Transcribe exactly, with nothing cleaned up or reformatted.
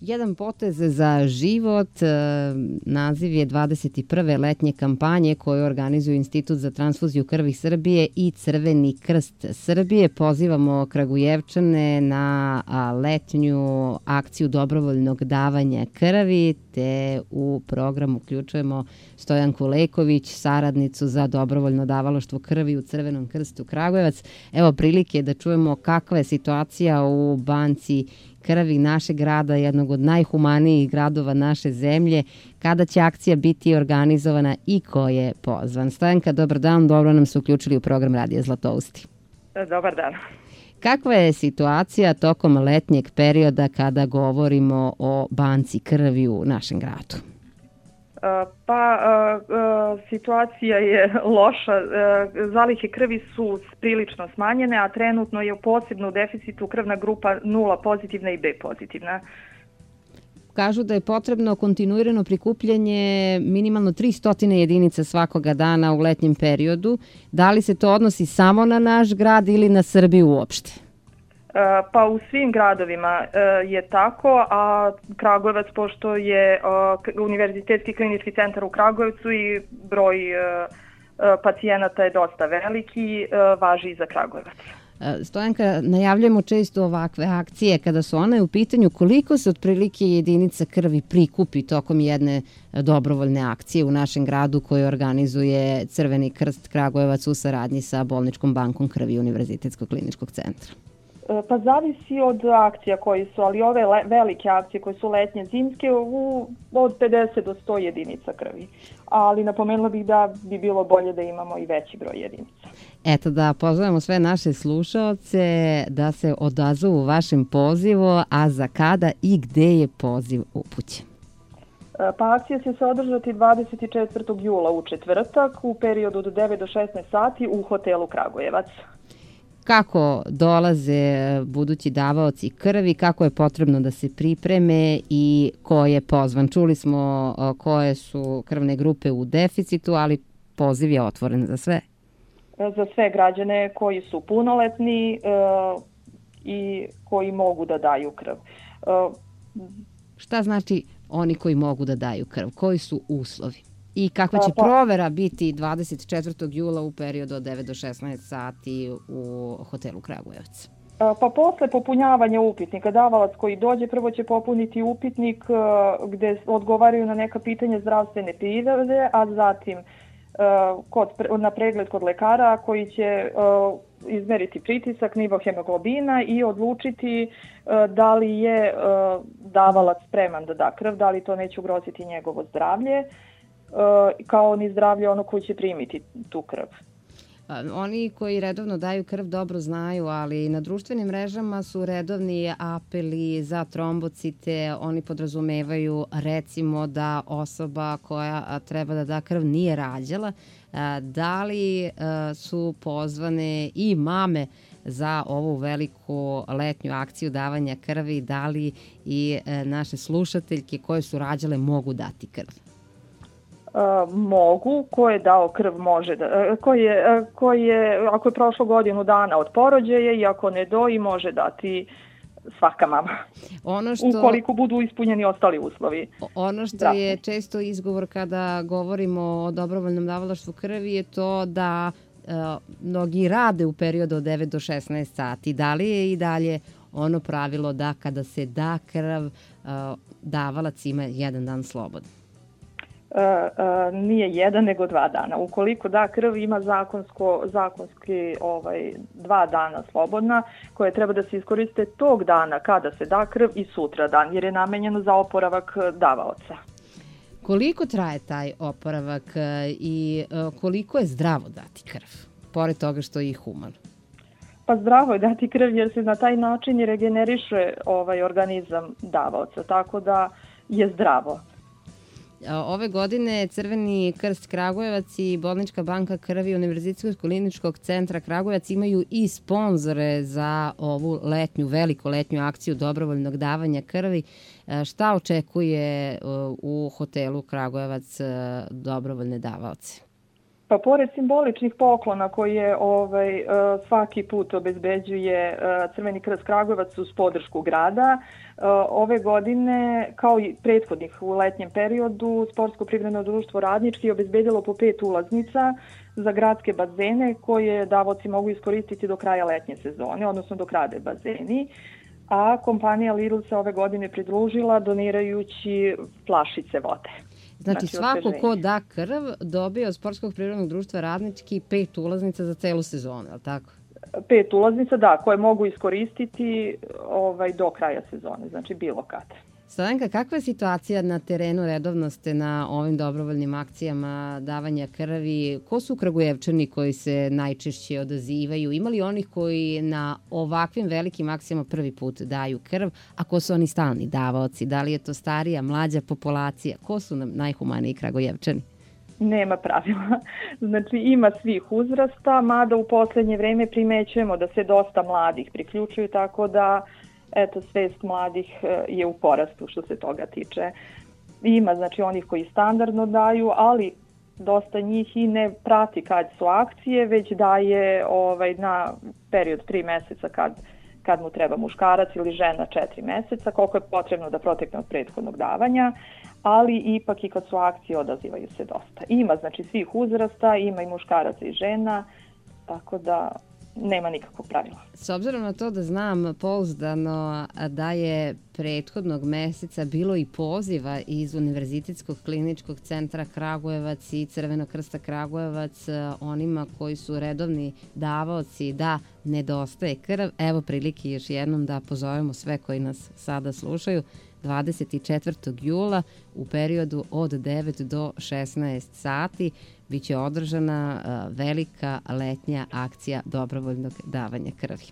Jedan potez za život, naziv je dvadeset prve letnje kampanje koju organizuju Institut za transfuziju krvi Srbije i Crveni krst Srbije. Pozivamo Kragujevčane na letnju akciju dobrovoljnog davanja krvi, te u program uključujemo Stojanku Leković, saradnicu za dobrovoljno davalaštvo krvi u Crvenom krstu Kragujevac. Evo prilike da čujemo kakva je situacija u banci krvi našeg grada, jednog od najhumanijih gradova naše zemlje. Kada će akcija biti organizovana i ko je pozvan? Stojanka, dobar dan, dobro nam se uključili u program Radija Zlatousti. Dobar dan. Kakva je situacija tokom letnjeg perioda kada govorimo o banci krvi u našem gradu? Pa, situacija je loša. Zalihe krvi su prilično smanjene, a trenutno je posebno u deficitu krvna grupa nula pozitivna i B pozitivna. Kažu da je potrebno kontinuirano prikupljanje minimalno tristo jedinica svakoga dana u letnjem periodu. Da li se to odnosi samo na naš grad ili na Srbiju uopšte? Pa u svim gradovima je tako, a Kragujevac, pošto je Univerzitetski klinički centar u Kragujevcu i broj pacijenata je dosta veliki, važi i za Kragujevac. Stojanka, najavljujemo često ovakve akcije. Kada su one u pitanju, koliko se otprilike jedinica krvi prikupi tokom jedne dobrovoljne akcije u našem gradu koju organizuje Crveni krst Kragujevac u saradnji sa Bolničkom bankom krvi Univerzitetskog kliničkog centra? Pa zavisi od akcija koji su, ali ove le, velike akcije koje su letnje, zimske, u, od pedeset do sto jedinica krvi. Ali napomenula bih da bi bilo bolje da imamo i veći broj jedinica. Eto da pozovemo sve naše slušaoce da se odazovu vašem pozivu, a za kada i gde je poziv upućen? Pa akcija će se održati dvadeset četvrtog jula u četvrtak u periodu od devet do šesnaest sati u hotelu Kragujevac. Kako dolaze budući davaoci krvi, kako je potrebno da se pripreme i ko je pozvan? Čuli smo koje su krvne grupe u deficitu, ali poziv je otvoren za sve. Za sve građane koji su punoletni e, i koji mogu da daju krv. E, Šta znači oni koji mogu da daju krv? Koji su uslovi? I kakva će provera biti dvadeset četvrtog jula u periodu od devet do šesnaest sati u hotelu Kragujevac? Pa posle popunjavanja upitnika, davalac koji dođe prvo će popuniti upitnik gde odgovaraju na neka pitanja zdravstvene prirode, a zatim kod, na pregled kod lekara koji će izmeriti pritisak, nivo hemoglobina i odlučiti da li je davalac spreman da da krv, da li to neće ugroziti njegovo zdravlje, kao ni zdravlje ono koji će primiti tu krv. Oni koji redovno daju krv dobro znaju, ali na društvenim mrežama su redovni apeli za trombocite. Oni podrazumevaju recimo da osoba koja treba da da krv nije rađala. Da li su pozvane i mame za ovu veliku letnju akciju davanja krvi? Da li i naše slušateljke koje su rađale mogu dati krv? Uh, mogu, ko je dao krv može da, uh, ko je, uh, ko je, ako je prošlo godinu dana od porođaja i ako ne doji može dati svaka mama. Ono što, ukoliko budu ispunjeni ostali uslovi. Ono što zdravstveni. Je često izgovor kada govorimo o dobrovoljnom davalaštvu krvi je to da uh, mnogi rade u periodu od devet do šesnaest sati. Da li je i dalje ono pravilo da kada se da krv, uh, davalac ima jedan dan slobodan? Uh, uh, nije jedan nego dva dana. Ukoliko da krv ima zakonsko, zakonski ovaj, dva dana slobodna koje treba da se iskoriste tog dana kada se da krv i sutra dan jer je namenjeno za oporavak davaoca. Koliko traje taj oporavak i koliko je zdravo dati krv, pored toga što je i humano? Pa zdravo je dati krv jer se na taj način regeneriše ovaj organizam davaoca, tako da je zdravo. Ove godine Crveni krst Kragujevac i Bolnička banka krvi Univerzitetskog kliničkog centra Kragujevac imaju i sponzore za ovu letnju, veliku letnju akciju dobrovoljnog davanja krvi. Šta očekuje u hotelu Kragujevac dobrovoljne davaoce? Pa pored simboličnih poklona koje ovaj, svaki put obezbeđuje Crveni krst Kragujevac uz podršku grada, ove godine, kao i prethodnih u letnjem periodu, Sportsko privredno društvo Radnički je obezbedilo po pet ulaznica za gradske bazene koje davaoci mogu iskoristiti do kraja letnje sezone, odnosno dok rade bazeni. A kompanija Lidl se ove godine pridružila donirajući flašice vode. Znači, svako ko da krv dobije od Sportskog privrednog društva Radnički pet ulaznica za celu sezonu, je li tako? Pet ulaznica, da, koje mogu iskoristiti ovaj, do kraja sezone, znači bilo kad. Slavenka, kakva je situacija na terenu? Redovno ste na ovim dobrovoljnim akcijama davanja krvi. Ko su Kragujevčani koji se najčešće odazivaju? Ima li onih koji na ovakvim velikim akcijama prvi put daju krv? A ko su oni stalni davaoci? Da li je to starija, mlađa populacija? Ko su nam najhumaniji Kragujevčani? Nema pravila. Znači ima svih uzrasta, mada u poslednje vreme primećujemo da se dosta mladih priključuju, tako da eto, svest mladih je u porastu što se toga tiče. Ima znači onih koji standardno daju, ali dosta njih i ne prati kad su akcije, već daje ovaj, na period tri meseca kad, kad mu treba muškarac ili žena četiri meseca, koliko je potrebno da protekne od prethodnog davanja, ali ipak i kad su akcije odazivaju se dosta. Ima znači svih uzrasta, ima i muškaraca i žena, tako da nema nikakvog pravila. S obzirom na to da znam pouzdano da je prethodnog meseca bilo i poziva iz Univerzitetskog kliničkog centra Kragujevac i Crvenog krsta Kragujevac onima koji su redovni davaoci da nedostaje krv, evo prilike još jednom da pozovemo sve koji nas sada slušaju. dvadeset četvrtog jula u periodu od devet do šesnaest sati biće održana velika letnja akcija dobrovoljnog davanja krvi.